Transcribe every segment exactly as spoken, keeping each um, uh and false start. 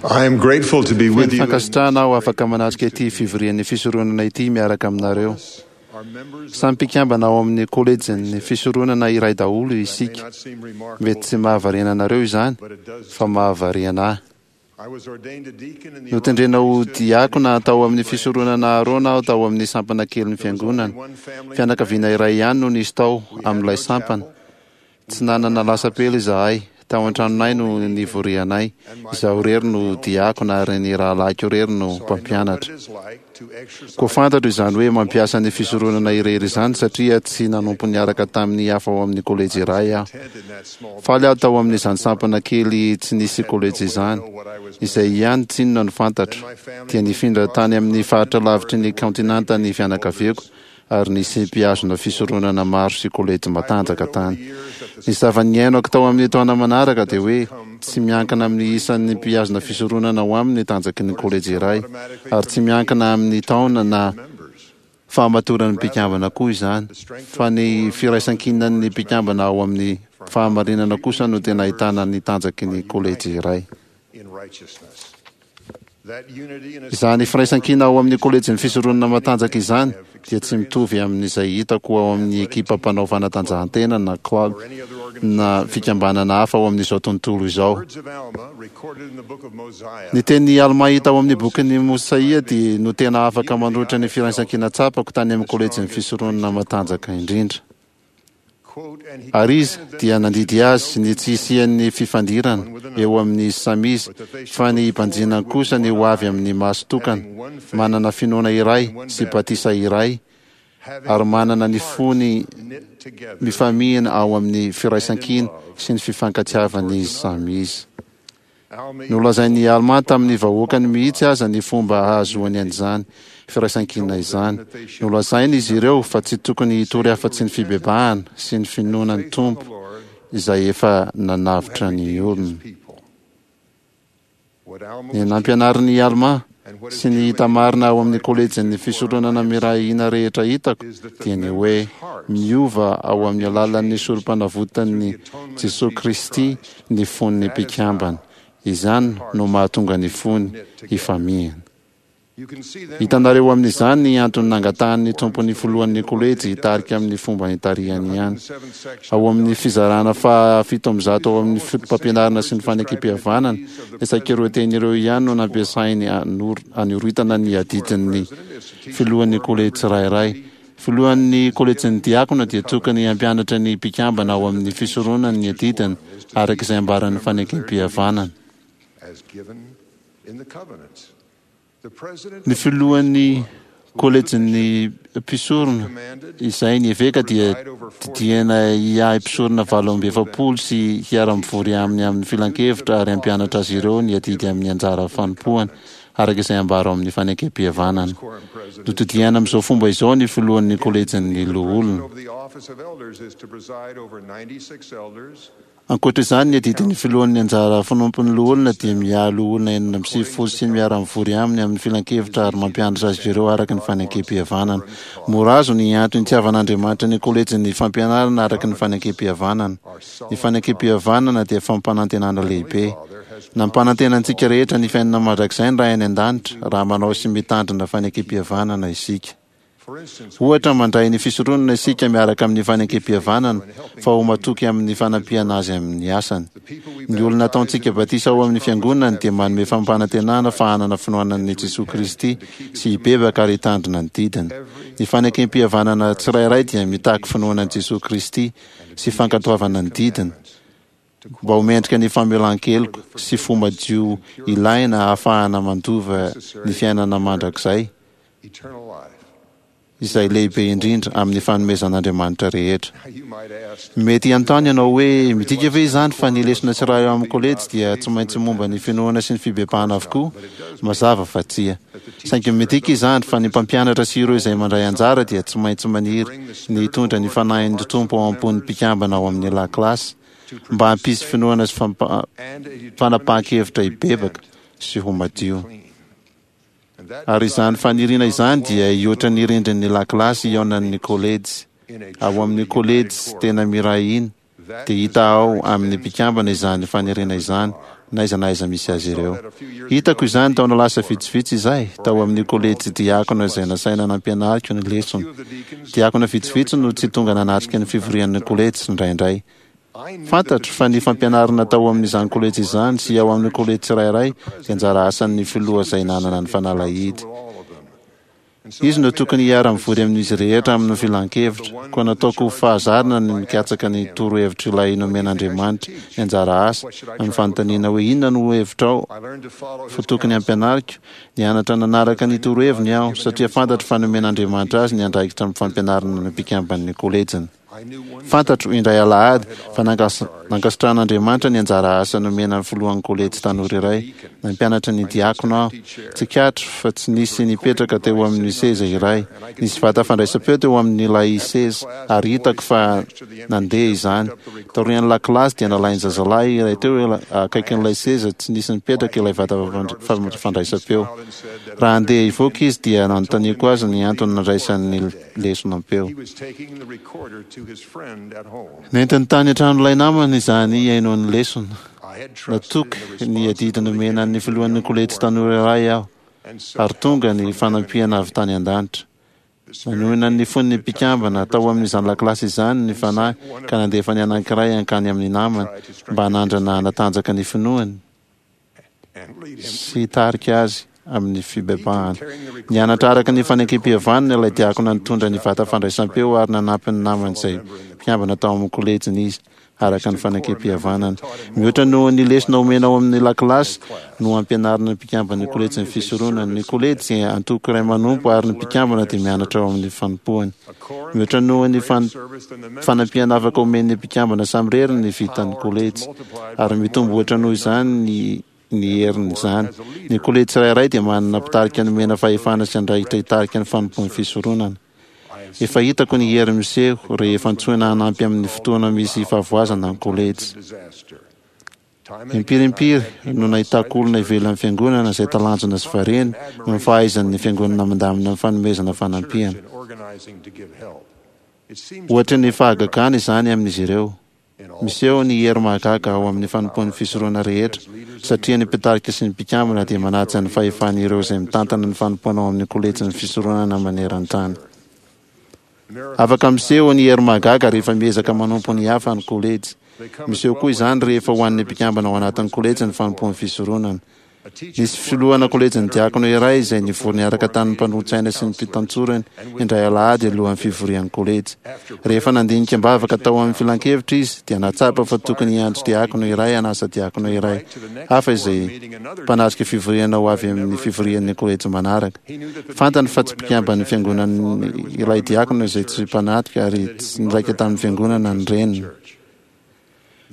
I am grateful to be Feno with you. fankasitrahana aho afaka manatrika ity fivorian'ny fisoronana ity miaraka aminareo. Our members Samy mpikambana ao amin'ny kolejin'ny fisoronana iray daholo may isika. not seem remarkable, Mety tsy mahavariana anareo izany, but it does. fa mahavariana ahy. I was ordained a deacon in the Notendrena ho Aaronic priesthood diakona tao amin'ny fisoronana Aarona aho tao amin'ny sampana kelin'ny fiangonana. One family Fianakaviana iray ihany no nisy tao amin'ilay sampana. Tsy nanana lasapela izahay. Tao an-tranonay no nivorianay. Izaho irery no diakona ary ny rahalahiko irery no So I know what mpampianatra. it is like to exercise Koa fantatro izany hoe mampiasa ny fisoronana irery izany satria tsy nanompo niaraka tamin'ny hafa ao amin'ny kolejy iray aho. intent in that small Faly aho tao amin'izany sampana kely tsy nisy kolejy izany. Izay ihany tsinona no fantatro. Dia nifindra tany amin'ny faritra lavitry ny kaontinanta ny fianakaviako ary nisy mpihazona fisoronana maro sy kolejy matanjaka tany. Ny zava-niainako tao amin'ny taona manaraka dia hoe tsy miankina amin'ny isan'ny mpihazona fisoronana ao aminy ny tanjaky ny kolejy iray ary tsy miankina amin'ny taona na members. fahamatoran'ny mpikambana koa izany fa ny firaisankinan'ny mpikambana ao amin'ny fahamarinana kosa no tena ahitana ny tanjaky ny kolejy iray. in righteousness. That unity and Izany firaisankina ao amin'ny kolejin'ny fisoronana matanjaka izany dia tsy mitovy amin'izay hitako ao amin'ny ekipa mpanao fanatanjahantena na club any other organization. na fikambanana hafa ao amin'izao tontolo izao. Words of Alma recorded in the book of Mosiah Ny teny Alma hita ao amin'ny bokin'ny Mosaia dia no tena afaka manolotra ny firaisankina tsapako tany amin'ny kolejin'ny fisoronana matanjaka indrindra. quote, and he Ary izy commanded them dia nandidy azy ny tsy hisian'ny fifandirana eo amin'ny samy izy fa ny hibanjinany kosa ny ho avy amin'ny maso tokana, manana finoana iray sy batisa iray having ary manana ny fony knit together mifamihina ao amin'ny firaisankina sy ny fifankatiavan'izy samy izy. Alma Nolazain'i Alma tamin'ny vahoakany mihitsy aza ny fomba hahazoany an'izany firaisankina izany. Nolazainy izy ireo fa tsy tokony hitory afa-tsy ny fibebahana sy ny finoana ny faith in the Tompo Lord izay efa nanavotra who had ny redeemed his olona. people. What Alma Ny was nampianarin'i Alma and what is sy ny true in hita marina ao amin'ny kolejin'ny fisoronana miray hina rehetra hitako is that the dia ny hoe members' hearts miova ao amin'ny alalan'ny sorom-panavotan'ny Jesosy Kristy ny fon'ny mpikambana. Izany no mahatonga ny fony hifamihina. You can see then Hitanareo amin'izany ny antony nangatahan'ny tompon'ny filohan'ny kolejy hitarika amin'ny fomba nitarihany ihany. seventh section Ao amin'ny fizarana fahafito amby zato ao amin'ny fotopampianarana sy ny fanekempihavanana, ny saika ireo teny ireo ihany no nampiasainy anor- anoritana ny adidin'ny filohan'ny kolejy tsirairay. Filohan'ny kolejin'ny diakona dia tokony hampianatra ny mpikambana ao amin'ny fisoronana ny adidiny araka izay ambaran'ny fanekempihavanana. as given in the covenants. The president Ny filohan'ny kolejin'ny mpisorona izay ny eveka dia didiana hiahy mpisorona valo amby efapolo sy hiara-mivory aminy amin'ny filankevitra ary hampianatra azy ireo ny adidy amin'ny anjara fanompoana araka izay ambara ao amin'ny fanekempihavanana. quorum president Notodiana amin'izao fomba izao ny filohan'ny kolejin'ny loholona. over the office of elders is to preside over ninety-six elders Ankoatra izany, ny adidin'ny filohan'ny anjara fanompon'ny loholona dia miahy loholona enina amby sivifolo sy miara-mivory aminy amin'ny filankevitra ary mampianatra azy ireo araka ny fanekempihavanana. Mora azo ny antony itiavan'Andriamanitra ny kolejin'ny fampianarana araka ny fanekempihavanana. Ny fanekempihavanana dia fampanantenana lehibe. Nampanantena antsika rehetra ny fiainana mandrakizay ny Ray any an-danitra raha manao sy mitandrina fanekempihavanana isika. For instance, Ohatra, mandray ny fisoronana isika miaraka amin'ny fanekempihavanana fa ho matoky amin'ny fanampiana azy amin'ny asany. the people we Ny olona ataontsika batisa ao amin'ny fiangonany dia manome fampanantenana fa hanana finoana an'i Jesosy Kristy sy hibebaka ary hitandrina ny didiny. Ny fanekempihavanana tsirairay dia mitaky finoana an'i Jesosy Kristy sy fankatoavana ny didiny mba ho mendrika ny famelan-keloka sy fo madio ilaina ahafahana mandova ny fiainana mandrakizay eternal life. izay lehibe indrindra amin'ny fanomezan'Andriamanitra rehetra. Now you might ask, Mety hanontany ianao hoe midika ve izany fa ny lesona tsirairay ao amin'ny kolejy dia tsy maintsy momba ny finoana sy ny fibebahana avokoa? Mazava fa tsia. Saingy midika izany fa ny mpampianatra sy ireo izay mandray anjara dia tsy maintsy maniry ny hitondra ny fanahin'ny Tompo ao am-pon'ny mpikambana ao amin'ny lakilasy mba hampisy finoana sy fampa- and a determination fanapahan-kevitra to hibebaka repent sy ho madio. clean. And that Ary izany faniriana izany dia hihoatra ny rindrin'ny lakilasy hihaonan'ny kolejy. in a Ao amin'ny truly united kolejy quorum, tena miray hina that dia hita ao amin'ny mpikambana izany faniriana izany na aiza na aiza misy azy ireo. Hitako izany taona lasa vitsivitsy izay, tao amin'ny kolejy diakona izay nasaina nampianariko ny lesona. Diakona vitsivitsy no tsy tonga nanatrika ny fivorian'ny kolejy indraindray. Fantatro fa ny fampianarana tao amin'izany kolejy izany sy ao amin'ny kolejy tsirairay dia anjara asan'ny filoha izay nanana ny fanalahidy. Izy no tokony hiara-mivory amin'izy rehetra amin'ny filan-kevitra. Koa nataoko ho fahazarana ny mikatsaka ny torohevitr'ilay nomen'Andriamanitra ny anjara asa, amin'ny fanontaniana hoe inona no hevitrao fa tokony hampianariko. Nianatra nanaraka ny toroheviny aho, satria fantatro fa nomen'Andriamanitra azy ny andraikitra amin'ny fampianarana ny mpikamban'ny kolejiny. Fantatro, indray alahady, fa nankasitrahan'Andriamanitra ny anjara asa nomena ny filohan'ny kolejy tanora iray. Nampianatra ny diakona aho. Tsikaritro fa tsy nisy nipetraka teo amin'ny seza iray. Nisy vata fandraisam-peo teo amin'ilay seza, ary hitako fa nandeha izany. Taorian'ny lakilasy dia nalain'ny zazalahy iray teo akaikin'ilay seza tsy nisy nipetraka ilay vata fandraisam-peo. Raha handeha hivoaka izy dia nanontaniako azy ny antony nandraisany ny lesona am-peo. Nentiny tany an-tranon'ilay namany izany hihaino ny lesona. Natoky ny adidy nomena ny filohan'ny kolejy tanora iray aho, ary tonga ny fanampiana avy tany an-danitra. Nanohina ny fon'ny mpikambana tao amin'izany lakilasy izany ny Fanahy ka nandefa ny anankiray hankany amin'ny namany mba hanandrana hanatanjaka ny finoany sy hitarika azy amin'ny fibebahana. Nianatra araka ny fanekem-pihavanana ilay diakona nitondra ny vata fandraisam-peo ary nanampy ny namany izay mpikambana tao amin'ny kolejiny izy araka ny fanekem-pihavanana. Mihoatra noho ny lesona omena ao amin'ny lakilasy no ampianarina ny mpikamban'ny kolejin'ny fisoronana. Ny kolejy dia antoko iray manompo ary ny mpikambana dia mianatra ao amin'ny fanompoany. Mihoatra noho ny fanampiana afaka omen'ny mpikambana samirery ny vitan'ny kolejy, ary mitombo ohatra noho izany ny ny herin'izany. Ny kolejy tsirairay dia manana mpitarika nomena fahefana sy andraikitra hitarika ny fanompoan'ny fisoronana. Efa hitako ny hery miseho rehefa antsoina hanampy amin'ny fotoana misy fahavoazana ny kolejy. Impiry impiry no nahitako olona ivelan'ny fiangonana izay talanjona sy variana noho ny fahaizan'ny fiangonana mandamina ny fanomezana fanampiana. Ohatry ny fahagagana izany amin'izy ireo. Miseho ny hery mahagaga ao amin'ny fanompoan'ny fisoronana rehetra, satria ny mpitarika sy ny mpikambana dia manaja ny fahefan'ireo izay mitantana ny fanompoana ao amin'ny kolejin'ny fisoronana maneran-tany. Afaka miseho ny hery mahagaga rehefa miezaka manompo ny hafa ny kolejy. Miseho koa izany rehefa ho an'ny mpikambana ao anatin'ny kolejy ny fanompoan'ny fisoronana. Nisy filohana kolejin'ny diakona iray izay nivory niaraka tamin'ny mpanolotsaina sy ny mpitantsorany indray alahady alohan'ny fivorian'ny kolejy. Rehefa nandinika am-bavaka tao amin'ny filankevitra izy dia nahatsapa fa tokony hiantso diakona iray hanasa diakona iray hafa izay mpanatrika fivoriana ho avy amin'ny fivorian'ny kolejy manaraka. Fantany fa tsy mpikamban'ny fiangonana ilay diakona izay tsy mpanatrika ary tsy niraika tamin'ny fiangonana ny reniny.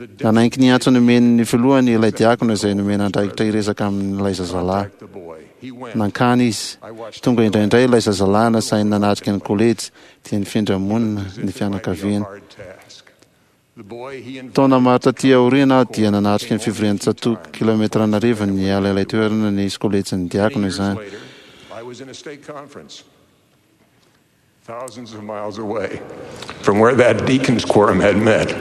Nanaiky ny antso nomen'ny filohany ilay diakona izay nomena andraikitra hiresaka amin'ilay zazalahy. Nankany izy. Tonga indraindray ilay zazalahy nasainy nanatrika ny kolejy, dia nifindra monina ny fianakaviany. Taona maro taty aoriana aho dia nanatrika ny fivorian'ny tsatòka, kilaometatra an'arivony niala ilay toerana nisy kolejin'ny diakona izany. Thousands of miles away from where that deacon's quorum had met.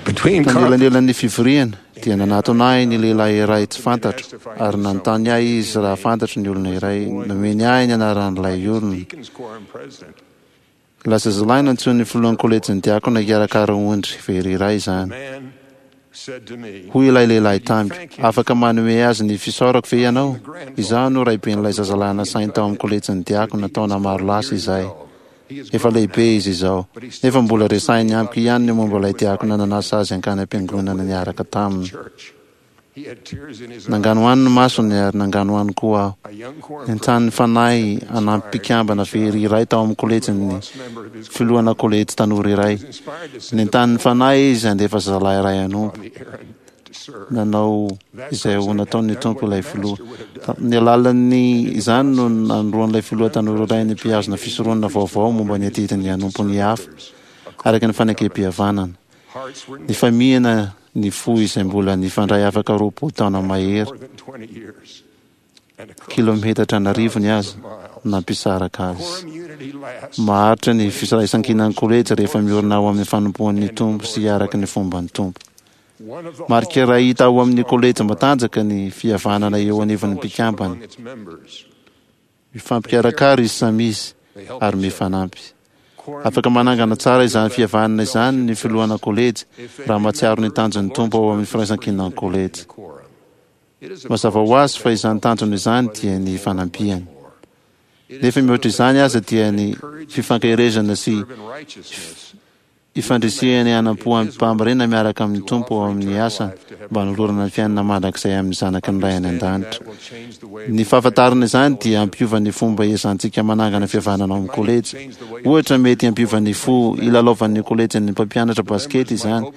Between Tanelanelan'ny fivoriana, dia nanatona ahy ny lehilahy iray tsy fantatro, ary nanontany ahy izy raha fantatro ny olona iray. Nomeny ahy ny anaran'ilay olona. Ilay zazalahy nantsoin'ny filohan'ny kolejin'ny diakona hikarakara ondry very iray izany. Hoy ilay lehilahy tamiko, Afaka manome azy ny fisaorako ve ianao? Izaho no raiben'ilay zazalahy nasainy tao amin'ny kolejin'ny diakona taona maro lasa izay. Efa lehibe izy izao, nefa mbola resahiny amiko ihany ny momba ilay diakona nanasa azy hankany am-piangonana niaraka taminy. Nanganohano ny masony ary nanganohano koa aho. Nentanin'ny Fanahy hanampy mpikambana very iray tao amin'ny kolejin'ny filohana kolejy tanora iray. Nentanin'ny Fanahy izy handefa zazalahy iray hanompo. Nanao izay ho nataon'ny Tompo ilay filoha. Tamin'ny alalan'ny izany no nanoroan'ilay filoha tanora iray ny mpihazona fisoronana vaovao momba ny adidiny hanompo ny hafa araka ny fanekem-pihavanana. Nifamihina ny fo izay mbola nifandray afaka roapolo taona mahery, kilometatra an'arivony aza, nampisaraka azy. Maharitra ny firaisankinan'ny kolejy rehefa miorina ao amin'ny fanompoan'ny Tompo sy araka ny fomban'ny Tompo. Marika iray hita ao amin'ny kolejy matanjaka ny fihavanana eo anivon'ny mpikambana. Mifampikarakara izy samy izy ary mifanampy. Afaka manangana tsara izany fihavanana izany ny filohana kolejy raha mahatsiaro ny tanjon'ny Tompo ao amin'ny firaisankinan'ny kolejy. Mazava ho azy fa izany tanjona izany dia ny fanampiany. Nefa mihoatra izany aza dia ny fifankaherezana sy ifandrisihany hanampo amim-pahamarinana miaraka amin'ny Tompo ao amin'ny asany mba hanolorana ny fiainana mandrakizay amin'ny zanaky ny Ray any an-danitra. Ny fahafantarana izany dia hampiova ny fomba iezahantsika manangana fihavanana ao amin'ny kolejy. Ohatra, mety hampiova ny fo hilalaovan'ny kolejin'ny mpampianatra basikety izany.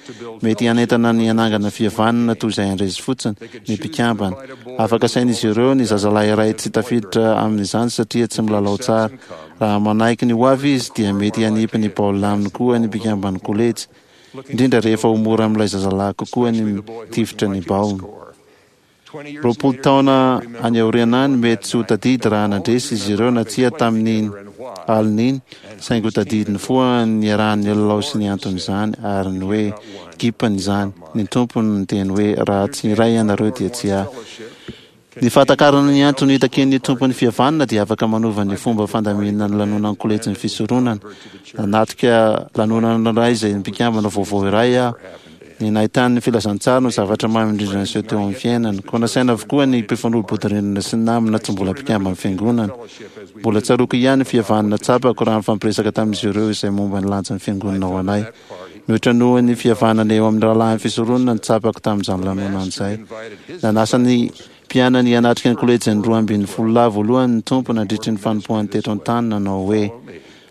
Mety hanentana ny hanangana fihavanana toy izay handresy fotsiny ny mpikambana. Afaka asain'izy ireo ny zazalahy iray tsy tafiditra amin'izany satria tsy milalao tsara. Raha manaiky ny ho avy izy dia mety hanipy ny baolina aminy koa ny mpikamban'ny kolejy, indrindra rehefa ho mora amin'ilay zazalahy kokoa ny mitifitra ny baolina. Roapolo taona any aoriana any, mety tsy ho tadidy raha nandresy izy ireo na tsia tamin'iny alina iny, saingy ho tadidiny foana ny niarahany nilalao sy ny anton'izany, ary ny hoe gipany izany. Ny Tompo no niteny hoe, Raha tsy iray ianareo dia tsy ahy. Ny fahatakarana ny antony itakian'ny Tompo ny fihavanana dia afaka manova ny fomba fandaminana ny lanonan'ny kolejin'ny fisoronana. Nanatrika lanonana iray izay mpikambana vaovao iray aho. Ny nahitany ny filazantsara no zavatra mamy indrindra niseho teo amin'ny fiainany. Koa nasaina avokoa ny mpifanolo-bodirindrina sy ny namana tsy mbola mpikamban'ny fiangonana. Mbola tsaroako ihany ny fihavanana tsapako raha nifampiresaka tamin'izy ireo izay momba ny lanjan'ny fiangonana ho anay. Mihoatra noho ny fihavanana eo amin'ny rahalahin'ny fisoronana no tsapako tamin'izany lanonana izay. Nanasa ny mpianany hanatrika ny kolejin'ny roa ambin'ny folo lahy voalohany ny Tompo nandritry ny fanompoany teto an-tany nanao hoe,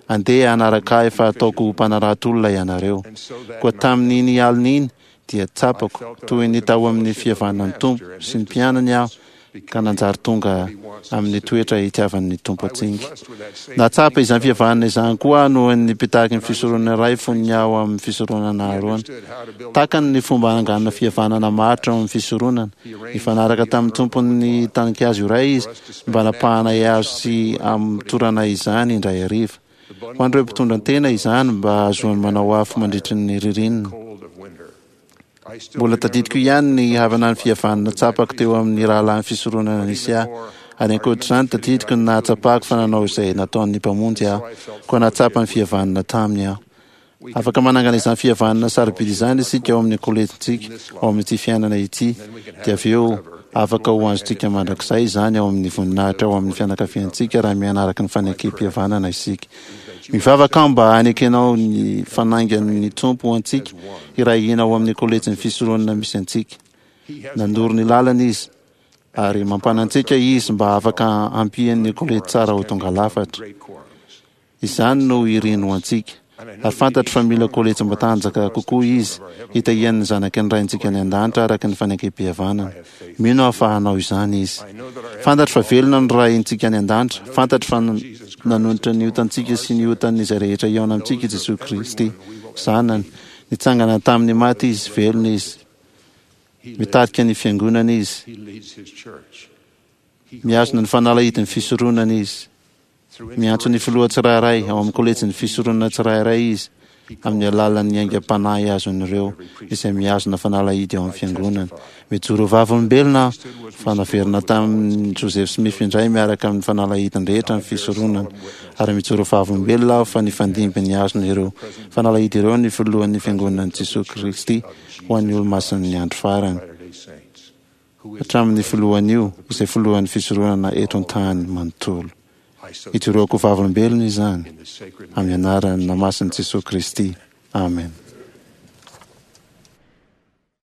Andeha hanaraka ahy fa hataoko ho mpanarato olona ianareo. Koa tamin'iny alina iny dia tsapako toy ny tao amin'ny fihavanan'ny Tompo sy ny mpianany aho ka nanjary tonga amin'ny toetra itiavan'ny Tompo antsika. Nahatsapa izany fihavanana izany koa aho noho ny mpitaky ny fisoronana iray fony aho amin'ny fisoronana Aharôna. Takany ny fomba hananganana fihavanana maharitra ao amin'ny fisoronana. Nifanaraka tamin'ny tompon'ny taninkazo iray izy mba hanapahanay hazo sy hamotoranay izany indray hariva. Ho an'ireo mpitondra tena izany mba hahazoany manao afo mandritry ny ririnina. Mbola tadidiko ihany ny havana ny fihavanana tsapako teo amin'ny rahalahin'ny fisoronana nisy ahy. Ary ankoatr'izany, tadidiko ny nahatsapako fa nanao izay nataon'ny Mpamonjy aho, koa nahatsapa ny fihavanana taminy aho. Afaka manangana izany fihavanana sarobidy izany isika ao amin'ny kolejintsika, ao amin'ity fiainana ity, dia avy eo afaka ho azontsika mandrakizay izany ao amin'ny voninahitra ao amin'ny fianakaviantsika raha miaina araka ny fanekem-pihavanana isika. Mivavaka aho mba hanekenao ny fanaingan'ny Tompo ho antsika hiray hina ao amin'ny kolejin'ny fisoronana misy antsika. Nanoro ny lalana Izy, ary mampanantsika Izy mba afaka hampian'ny kolejy tsara ho tonga lafatra. Izany no iriny ho antsika. Ary fantatro fa mila kolejy matanjaka kokoa Izy, hitahiany ny zanaky ny Raintsika any An-danitra araka ny fanekem-pihavanana. Mino aho fa hanao izany Izy. Fantatro fa velona ny Raintsika any An-danitra. Fantatro fa nanonitra ny otantsika sy ny otan'izay rehetra hihaona amintsika i Jesoa Kristy, Zanany. Nitsangana tamin'ny maty Izy, velona Izy. Mitarika ny Fiangonana Izy. Mihazona ny fanalahidin'ny fisoronana Izy. Miantso ny filoha tsirairay ao amin'ny kolejin'ny fisoronana tsirairay izy amin'ny alalan'ny aingam-panahy azon'ireo izay mihazona fanalahidy ao amin'ny fiangonana. Mijoro ho vavolombelona aho fa naverina tamin'i Joseph Smith indray miaraka amin'ny fanalahidiny rehetra ny fisoronana, ary mijoro ho vavolombelona aho fa nifandimby nihazona ireo fanalahidy ireo ny filohan'ny Fiangonan'i Jesoa Kristy ho an'ny Olomasin'ny Andro Farany. Hatramin'ny filohan'io, izay filohan'ny fisoronana eto an-tany manontolo. Ijoroako ho vavolombelona izany, amin'ny anaran'ny namasin'i Jesoa Kristy. Amena.